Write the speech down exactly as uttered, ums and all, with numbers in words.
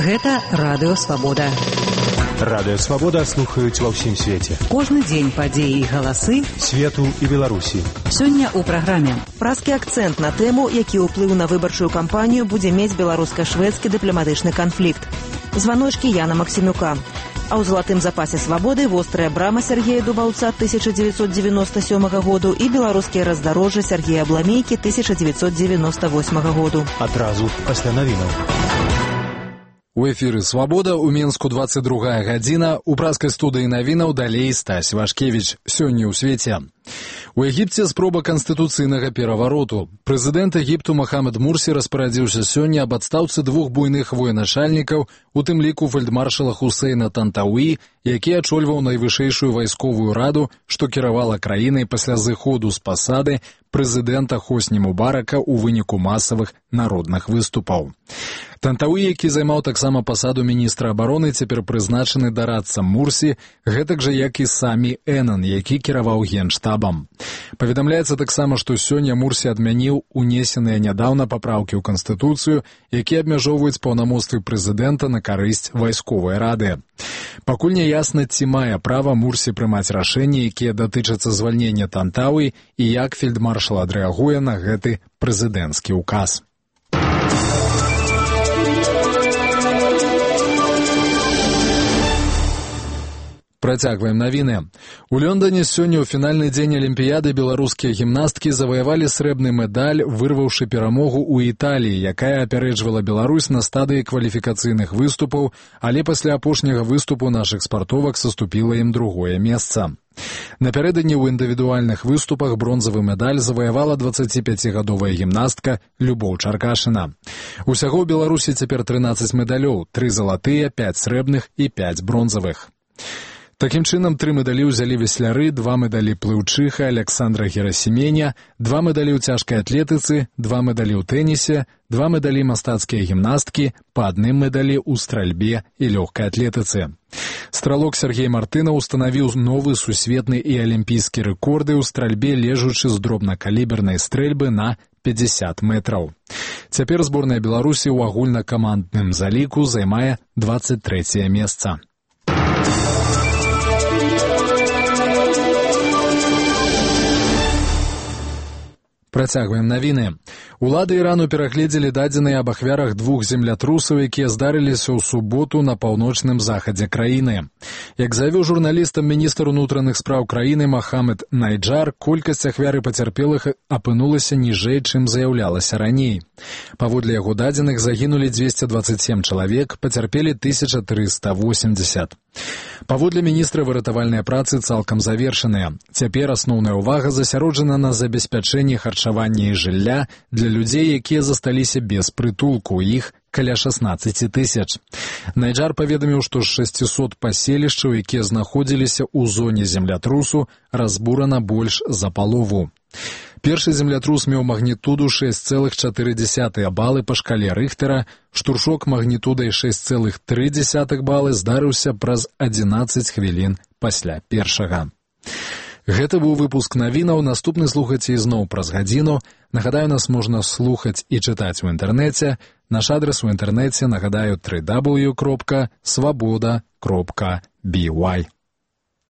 Гэта Радыё Свабода. Радыё Свабода слухаюць ва ўсім свеце. Кожны дзень падзеі і галасы свету і Беларусі. Сёння ў праграме. Празкі акцэнт на тэму, які ўплыў на выбарчую кампанію будзе мець беларуска-шведскі дыпламатычны канфлікт. Званочкі Яна Максімюка. А ў залатым запасе свабоды вострая брама Сергея Дубаўца тысяча дзевяцьсот дзевяноста сёмага году і беларускія раздарожжы Сергея Абламейкі тысяча дзевяцьсот дзевяноста восьмага году. Адразу пасля навінаў. У эфіры «Свабода», у Мінску двадцать другая гадзіна, у празкай студыі навінаў далей Стась Вашкевіч. Сёння ў свеце. У Егіпце спроба канстытуцыйнага перавароту. Прэзідэнт Егіпту Махамед Мурсі распарадзіўся сёння аб адстаўцы двух буйных военачальнікаў, у тым ліку фельдмаршала Хусейна Тантауі, які ачольваў найвышэйшую вайсковую раду, што кіравала краінай пасля зыходу з пасады прэзідэнта Хосні Мубарака ў выніку масавых народных выступаў. Тантауі, які займаў таксама пасаду міністра абароны, цяпер прызначаны дарадцам Мурсі, гэтак жа як і самі Энан, які кіраваў генштабам. Паведамляецца таксама, што сёння Мурсі адмяніў унесеныя нядаўна папраўкі ў Канстытуцыю, якія абмяжоўваюць паўнамоцтвы прэзідэнта на карысць вайсковай рады. Пакуль не ясна, ці мае права Мурсі прымаць рашэнні, якія датычацца звальнення Тантауі, і як фельдмаршал адрэагуе на гэты прэзідэнцкі ўказ. Працягваем навіны. У Лондоне сёння ў фінальны дзень Алімпіяды беларускія гімнасткі заваявалі срэбны медаль, вырваўшы перамогу ў Італіі, якая апярэджвала Беларусь на стадыі кваліфікацыйных выступаў, але пасля апошняга выступу нашых спартовак саступіла ім другое месца. Напярэдадні ў індывідуальных выступах бронзавы медаль заваявала дваццаціпяцігадовая гімнастка Любоў Чаркашына. Усяго ў Беларусі цяпер трынаццаць медалёў, тры залатыя, пяць срэбных і пяць бронзавых. Такім чынам, тры медалі ўзялі весляры, два медалі плыўчыха Александра Герасіменя, два медалі ў цяжкай атлетыцы, два медалі ў тэнісе, два медалі мастацкія гімнасткі, па адным медалі ў стральбе і лёгкай атлетыцы. Стралок Сергей Мартынаў устанавіў новы сусветны і алімпійскі рэкорды ў стральбе, лежучы з дробнакалібернай стрэльбы на пятьдесят метраў. Цяпер зборная Беларусі ў агульнакамандным заліку займае дваццаць трэцяе месца. Працягваем навіны. Улады Ірану перагледзелі дадзеныя аб ахвярах двух землятрусаў, якія здарыліся ў суботу на паўночным захадзе краіны. Як заявіў журналістам міністр унутраных спраў краіны Махамед Найджар, колькасць ахвяр і пацярпелых апынулася ніжэй, чым заяўлялася раней. Паводле яго дадзеных загінулі дзвесце дваццаць сем чалавек, пацярпелі тысяча трыста восемьдесят. Паводле міністра выратавальныя працы цалкам завершаныя. Цяпер асноўная ўвага засяроджана на забеспячэнні харчавання і жылля для людзей, якія засталіся без прытулку, іх каля шаснаццаць тысяч. Найджар паведаміў, што з шасцісот паселішчаў, якія знаходзіліся ў зоне землятрусу, разбурана больш за палову. Першы землятрус меў магнітуду шэсць цэлых чатыры дзесятых балы па шкале Рыхтера, штуршок магнітудай шэсць цэлых тры дзесятых балы здарыўся праз адзінаццаць хвілін пасля першага. Гэта быў выпуск навінаў, наступны слухаце ізноў праз гадзіну. Нагадаю, нас можна слухаць і чытаць у інтэрнэце. Наш адрес у інтэрнэце, нагадаю, дабл ю дабл ю дабл ю кропка свабода кропка бі вай.